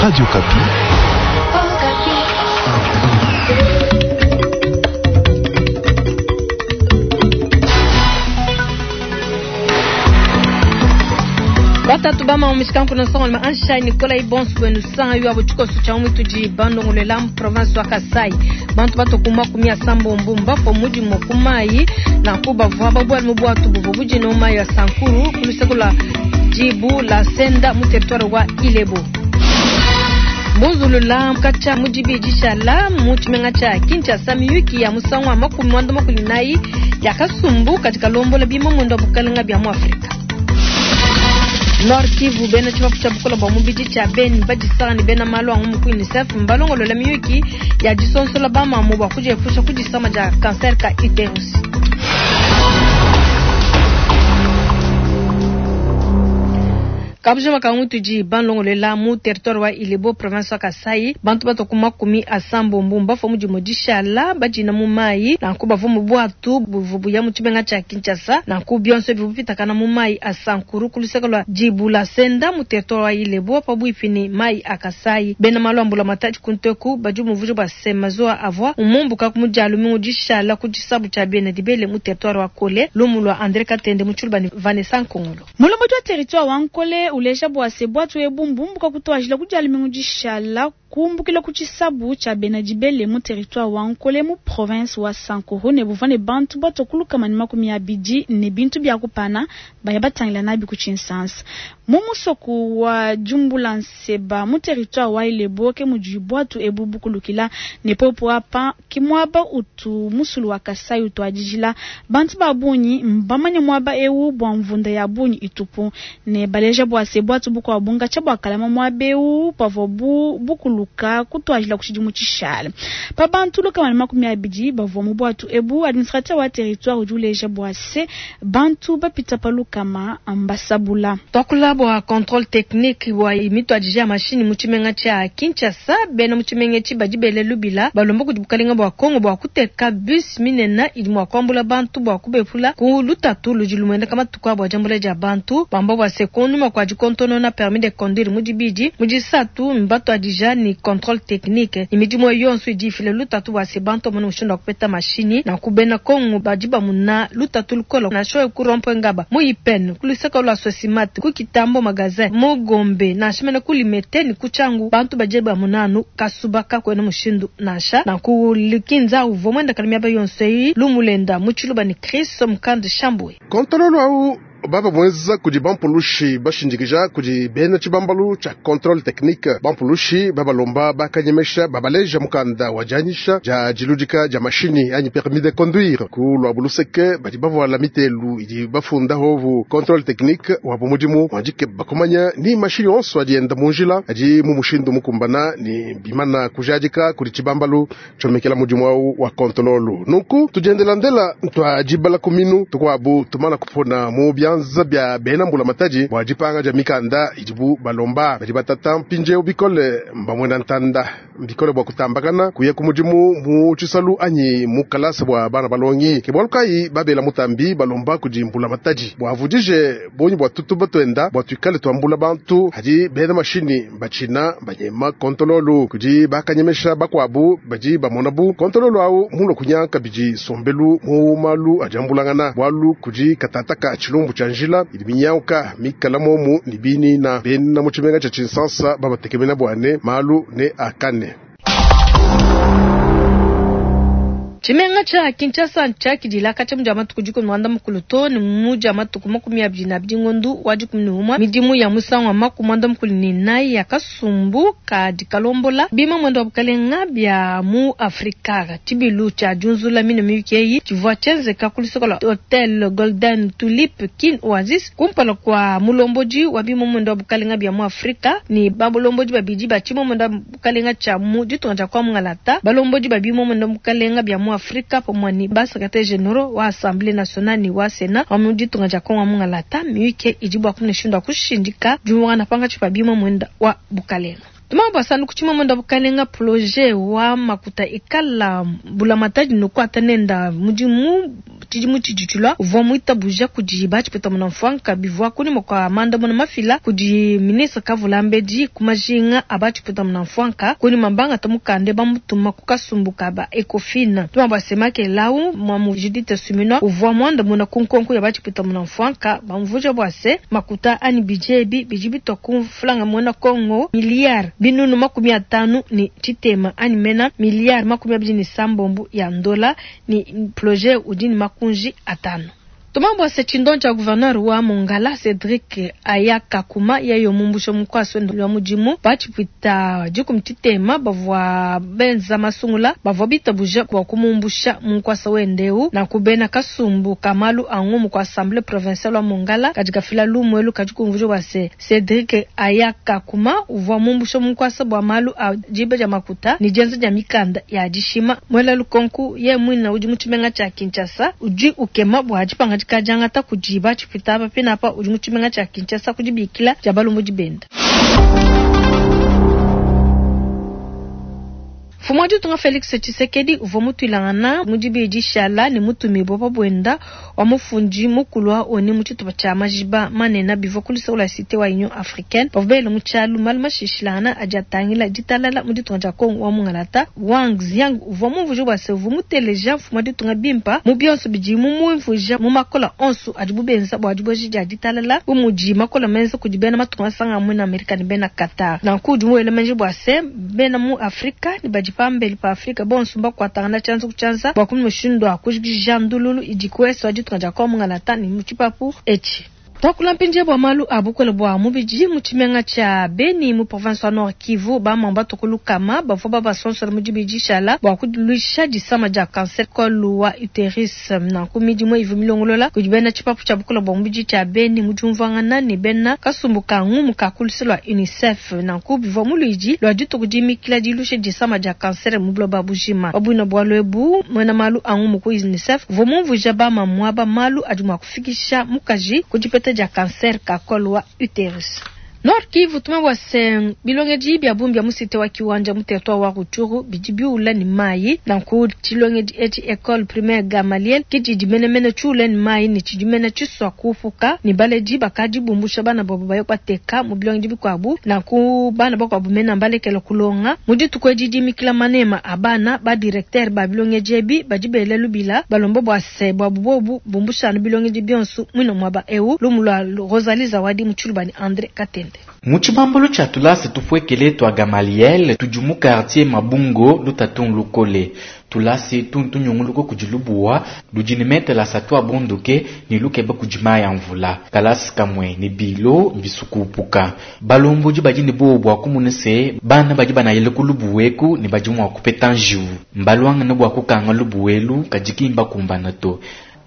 Radio Okapi. Batatu bama mishikanku na songo ma ansha Nicolas Ibonsu kwenu sanga yu abo chikoso cha umituji bandongolela mu province wa Kasai. Bantu batokuma kumia sambo mbumba po muji mokumai na kuba vwa babwa mu bwatu bubu buji no mai ya Sankuru kulisekula jibu la senda mu territoire wa Ilebo. Bozulula kacha mujibi jishala mu tshimenga tsha Kinshasa miyuki ya musangu wa 94 ya kasumbu katika lombola bima mwendo wa bukalenga bya mu Afrika. Nord Kivu bena tshibapu tsha bukola bwa mubidi tsha Beni badisanga ne bena malu angu mu UNICEF mbalongolola miyuki ya disonsola bamamu bwa kudiepusha ku disama dia cancer ka uterus. Kabujima kangu tudi banlongolela mu territoire wa Ilebo province wa Kasai bantu batoku 80 mbafo mudimo dishala badina mu mai nanku bavua mu bwatu buvu ya mu tshimenga tsha Kinshasa nanku bionso bivu bipitakana mu mai a Sankuru ku luseke lua Dibula Senda mu territoire wa Ilebo pabuipi ne mai a Kasai bena malu a mbula matadi kunteku badi muvuji bua se mazuwa avua umumbuka ku mudialu mingu dishala ku disabu tshia bena dibele mu territoire wa Kole lumu lua André Katende mu tshiluba ne Vanessa Nkongolo. Mulombodi wa territoire wa Nkole uleja bua se bwatu ebu mbumbuka kutuajila kudialu mingu dishala kumbukila ku tshisabu tshia bena dibele mu territoire wa Nkole mu province wa Sankuru ne buvua ne bantu batokuluka ne 20 ne bintu bia kupana baya batangila nabi ku tshinsansa. Mu musoku wa Djumbula Nseba mu territoire wa Ilebo ke mudi bwatu ebu bukulukila ne popo apa ke muaba utu musulu wa Kasai utuadijila bantu ba bungi mbamanye muaba ewu bua mvunda ya bungi itupu ne baleja bua se bwatu bukua bunga tshia bua kalama muaba ewu pavua bu bukuluka kutuajila ku tshidimu tshishale. Pa bantu 120 bavua mu bwatu ebu administrateur wa territoire udi uleja bua se bantu bapita pa lukama ambasabula. Twakula bua contrôle technique wa imituadija ya mashini mu tshimenga tshia Kinshasa bena mu tshimenga etshi badi bele lubila balomba kudi bukalenga bua Kongo bua kuteka bus minene idi mua kuambula bantu bua kubepula ku lutatu ludi lumueneka matuku abo diambula dia bantu bamba bua se kunyima kua dikontonona permis de conduire mu dibidi mu disatu mbatuadija ni contrôle technique ni midimu yonso idi ifila lutatu bua se bantu bamone mushindu wa kupeta mashini na kubena Kongo badi bamuna lutatu lukola nansha ku rond-point Ngaba mu Ipene ku luseke lua Sosimat ku Kitambo magasin mu Gombe nansha mene ku Limete ni ku Tshangu bantu badi bamuna anu kasuba kakuena mushindu nansha na ku Lukinza uvua muenda kala miaba yonso eyi lumulenda mu tshiluba ni Chris Mukandi Shambwe. Contrôle au baba mwenza kudi bampulushi bashindikija kudi bena tshibambalu tsha contrôle technique bampulushi babalomba bakanyemesha babaleja mukanda wa dianyisha dia diludika dia mashini anyi permis de conduire ku lua buluseke badi bavuala mitelu idi bafunda hovu contrôle technique wa bumudimu wandike bakumanya ni mashini onso adi enda mu njila adi mu mushindu mukumbana ni bimana kujadika kudi tshibambalu tshomekela mudimu awu wa contrôle nunku tudiendelandela ntwa dibala kuminu tukuabu tumana kupona mu byanza bya bena mbula matadi bua dipanga dia mikanda idibu balomba badi batata mpindieu bikole mbamwena ntanda bikole bua kutambakana kuya ku mudimu mu tshisalu anyi mu kalasa bua bana balongi ke bualu kayi babela mutambi balomba kudi mbula matadi bua avudije bonyi bua tutu batuenda bua tuikale tuambula bantu hadi bena mashini batshina banyema kontololu kudi bakanyemesha bakuabu badi bamona bu kontololu awu mulo kunyanka bidi sombelu mu malu adiambulangana bualu kudi katataka tshilumbu tshia njila idi minyauka mikala momu ni bini na bena mu tshimenga tshia Tshinsansa babatekemena bwane malu ne akane. Tshimenga tsha Kinshasa ntshiakidila katshia mudia matuku 12 to ne mudia matuku 22 ngondu wa 11 midimu ya musangu wa 94 ya kasumbu kadi kalombola bima mwendo wa bukalenga bya mu Afrika tshibilu tsha diunzula mine miyuki tshivua tshienzeka ku luseke lua Hotel Golden Tulip Kin Oasis kumpala kua mulombodi wa bima mwendo wa bukalenga bya mu Afrika ni balombodi babidi ba tshima mwendo wa bukalenga tsha mu ditunga dia kwa Mungalata balombodi ba bima mwendo wa bukalenga bya mu Afrika pamwe ni ba secrétaire généraux wa Assemblée nationale ni wa Sénat wa mu ditunga dia Kongo Mungalata miyuki idi bua kumune kushindika diumwana panga tshipa bima mwenda wa bukalenga. Tuma bua sandu kuchima mwenda bukalenga projet wa makuta ikala bulamatadi nokuata nenda mudimu tshidimu tshidi tshilua uvua muitabuja kudi ba tshipuita munamfuanka bivua kunyima kua mandamuna mafila kudi ministre Kavulambedi ku majinga a ba tshipuita munamfuanka. Kunyima mbangata mukanda bamutuma ku kasumbu ka ba Ecofin. Tuma bua se makelela mamu Judith Suminwa uvua muandamuna ku nkonko ya ba tshipuita munamfuanka bamvuija bua se makuta anyi budget ebi bidi bitua ku mfranga muena Congo miliyare 550 anyi mena miliyare 26 ya ndola ni projet udi ni makunji atano. Tuma bua se tshindon tsha gouverneur wa Mongala Cedric Ayaka Kuma yeyo mumbusha mukwasi wende wa mudimu batshipuita dikumi tshitema bavua benza masungula bavua bitabuja bua kumumbusha mu nkuasa wende eu na kubena kasumbu ka malu a ngumu ku assemblée provinciale wa Mongala kadi kafila lumuelu kadi kumvuja bua se Cedric Ayaka Kuma uvua mumbusha mu nkuasa bua malu a diba dia makuta ni dienza dia mikanda ya dishima. Mwela lukonku ye mwina udi mu tshimenga tsha Kinshasa udi ukema bua dipangadika diangata kudi batshipuita apa pinapa udi mu tshimenga tsha Kinshasa kudibikila dia balombodi benda. Mfumu wa ditunga Felix Tshisekedi uvua mutuilangana mu dibidi shala ne mutumibue pa buenda wa mufundi mukulu wa ONU mu tshitupa tshia majiba manene bivua ku luseke lua cité wa Union Africaine. Bavua bele mu tshialu malu mashishilangana adi atangila ditalala mu ditunga dia Congo wa Mungalata. Wang Xiang uvua mumvuije bua se uvua muteleja mfumu wa ditunga bimpa mu bionso bidi mumumvuija mu makola onso adibu benza bua dibueja dia ditalala bu mudi makola menza kudi bena matunga masanga amwe na Amerika ne bena Qatar. Nanku udi muele menji bua se bena mu Afrika ne badi pambeli pa Afrika bonso mbakuatangana tshianza ku tshianza bua kumona mushindu wa kujikija ndululu idi ku est wa ditunga dia Congo Mungalata ne mu tshipapu etshi. Tuakula mpindieu bua malu a bukole bua mubidi mu tshimenga tshia Beni mu province wa Nord Kivu. Bamama batue ku lukama bavua babasonsola mu dibidi dishala bua kuluisha disama dia cancer col wa uterus. Nanku midimu ivua milongolola kudi bena tshipapu tshia bukole bua mubidi tshia Beni mu diumvuangana ne bena kasumbu ka ngumu ka ku luse lua UNICEF. Nanku bivua mu luidi lua dituku dimikila dilusha disama dia cancer mu buloba bujima. Pa buina bualu ebu, muena malu a ngumu ku UNICEF uvua mumvuija bamamu aba malu adi mua kufikisha mukaji ku dipeta dia cancer ka col wa uterus. Nord Kivu, tuma bua se bilongedi bia bungi bia mu cité wa Kiwanja mu territoire wa Rutshuru bidi biula ne mayi. Nanku tshilongedi etshi école primaire Gamaliel ke tshidi menemene tshiula ne mayi ne tshidi mene tshisua kupuka ne baledi bakadi bumbusha bana babo baye kubateka mu bilongedi bikuabu. Nanku bana bakuabu mena mbalekela kulonga mu dituku edi dimikila manema a bana ba directeur ba bilongedi ebi badi bela lubila balomba bua se buabu bobu bumbusha anu bilongedi bionso muine muaba eu. Lumu lua Rosalie Zawadi mu Tshiluba ne André Katende. Mu tshibambalu tshia tulasa tupuekele tua Gamaliel tudi mu quartier Mabungo lutatu lukole. Tulasa tuntu nyunguluko kudi lubuwa ludi ne metele asatu abunduke ne lukeba kudi mayi a mvula. Kalasa kamwe ne bilo mbisukupuka. Balombodi badi ne bobu bua kumona se bana badi banayile ku lubuweku ne badi mua kupeta njiwu. Mbaluangane bua kukanga lubuwelu kadi ki mbakumbana to.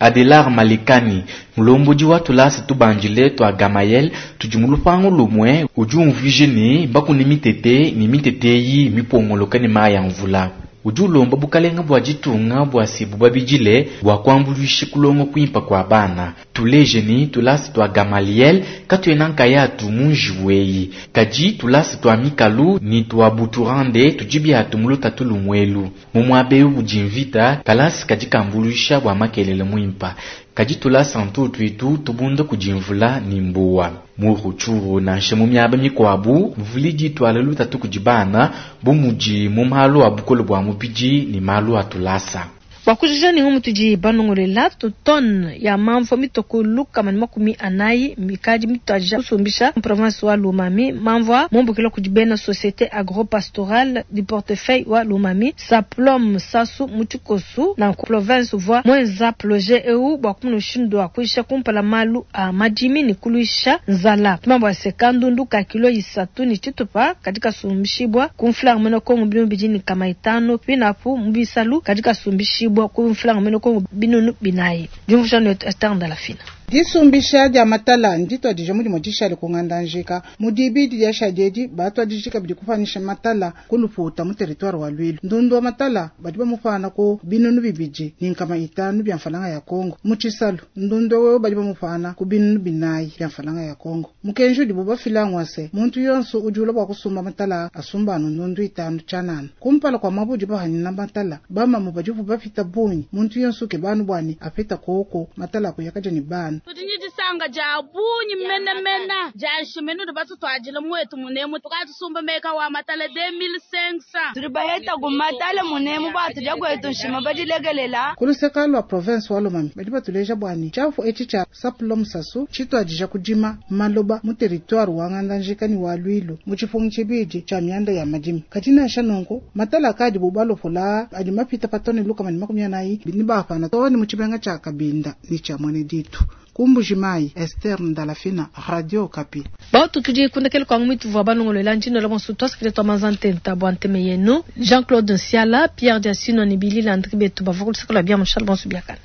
Adelar Malekani, mulombodi wa tulasa tubandile tua Gamayel, tudi mu lupangu lumwe udi umvuije ne bakune mitete ne mitete eyi mipongoloka ne mayi a mvula. Udi ulomba bukalenga bua ditunga bua se bubabidile bua kuambuluisha kulonga kuimpa kua bana. Tuleje ne tulasa tua Gamaliel katuena nkayatu mu njiwu eyi. Kadi tulasa tua Mikalu ne tua Buturande tudi biatu mu lutatu lumwelu. Mu muaba eu budi mvita, kalasa kadi kambuluisha bua makelele muimpa. Kadi tulasa ntutu itu tubunda kudi mvula ne mbuwa. Mu Rutshuru nansha mu miaba mikuabu, mvula idi ituala lutatu kudi bana bu mudi mu malu a bukole bua mubidi ne malu a tulasa. Bua kujija ne ngumu tudi banongolela tu tonne ya mamvua mitoko 140 mikadi mituadija kusumbisha mu province wa Lomami. Mamvua mumbukila kudi bena société agro-pastorale du portefeuille wa Lomami Saplom Sasu mu tshikosu na province uvua mwenza projet eu bua kumona mushindu wa kuisha kumpala malu a madimi ne kuluisha nzala. Tumambo se kandundu ka kilo 3 ne tshitupa kadi kasumbishibwa ku mfulanga mwena Kongo 250 pinapu mu bisalu kadi kasumbishibwa ku mfulanga mwena Kongo 400. Diumvuija netu Esther Ndalafina. Disumbisha dia matala ndituadije mu dimue dishale ku Ngandajika. Mu dibidi diashadi edi, batuadije kabidi kupanyisha matala ku Luputa mu territoire wa Luilu. Ndundu wa matala badi bamupana ku 2500 bia mfalanga ya Kongo. Mu Tshisalu, ndundu wewe badi bamupana ku 400 bia mfalanga ya Kongo. Mukenji udibu bafila ngwa se, muntu yonso udi ulua bua kusumba matala asumba anu ndundu 5 tshianana. Kumpala kua muaba udi bahanyina matala, bamamu badibu bapita bungi, muntu yonso ukeba bwani apita koko matala akuyakaja ne bana. Tudi ne disanka dia bungi menemene dia nshiminu udi batutuadile muetu munemu, tukatusumba meka wa matala 2500. Tudi baheta ku matala munemu batudia kwetu nshima badilekelela. Ku luseka lua province wa Lomami badi batuleja bwani tshiafu etshi tshia Saplom Sasu tshituadija kudima maloba mu territoire wa Ngandajika ne wa Luilu mu tshipungu tshibidi tshia mianda ya madimi. Kadi nansha nunku matala akadi bu balopola adi mapita pa tone 140 ni bapana too ne mu tshimenga tshia Kabinda ne tshia Mwene Ditu. Ku Mbujimayi, Esther Ndalafina, Radio Okapi. Batu tudi kundekele kwa ngumi tuvua balongolola njino la bonso twasakile twa mazantenta bua nteme yenu. Jean-Claude Nsiala, Pierre Diasino ne Billy Landry betu bavua ku luseke lua bia mushale bonso biakane.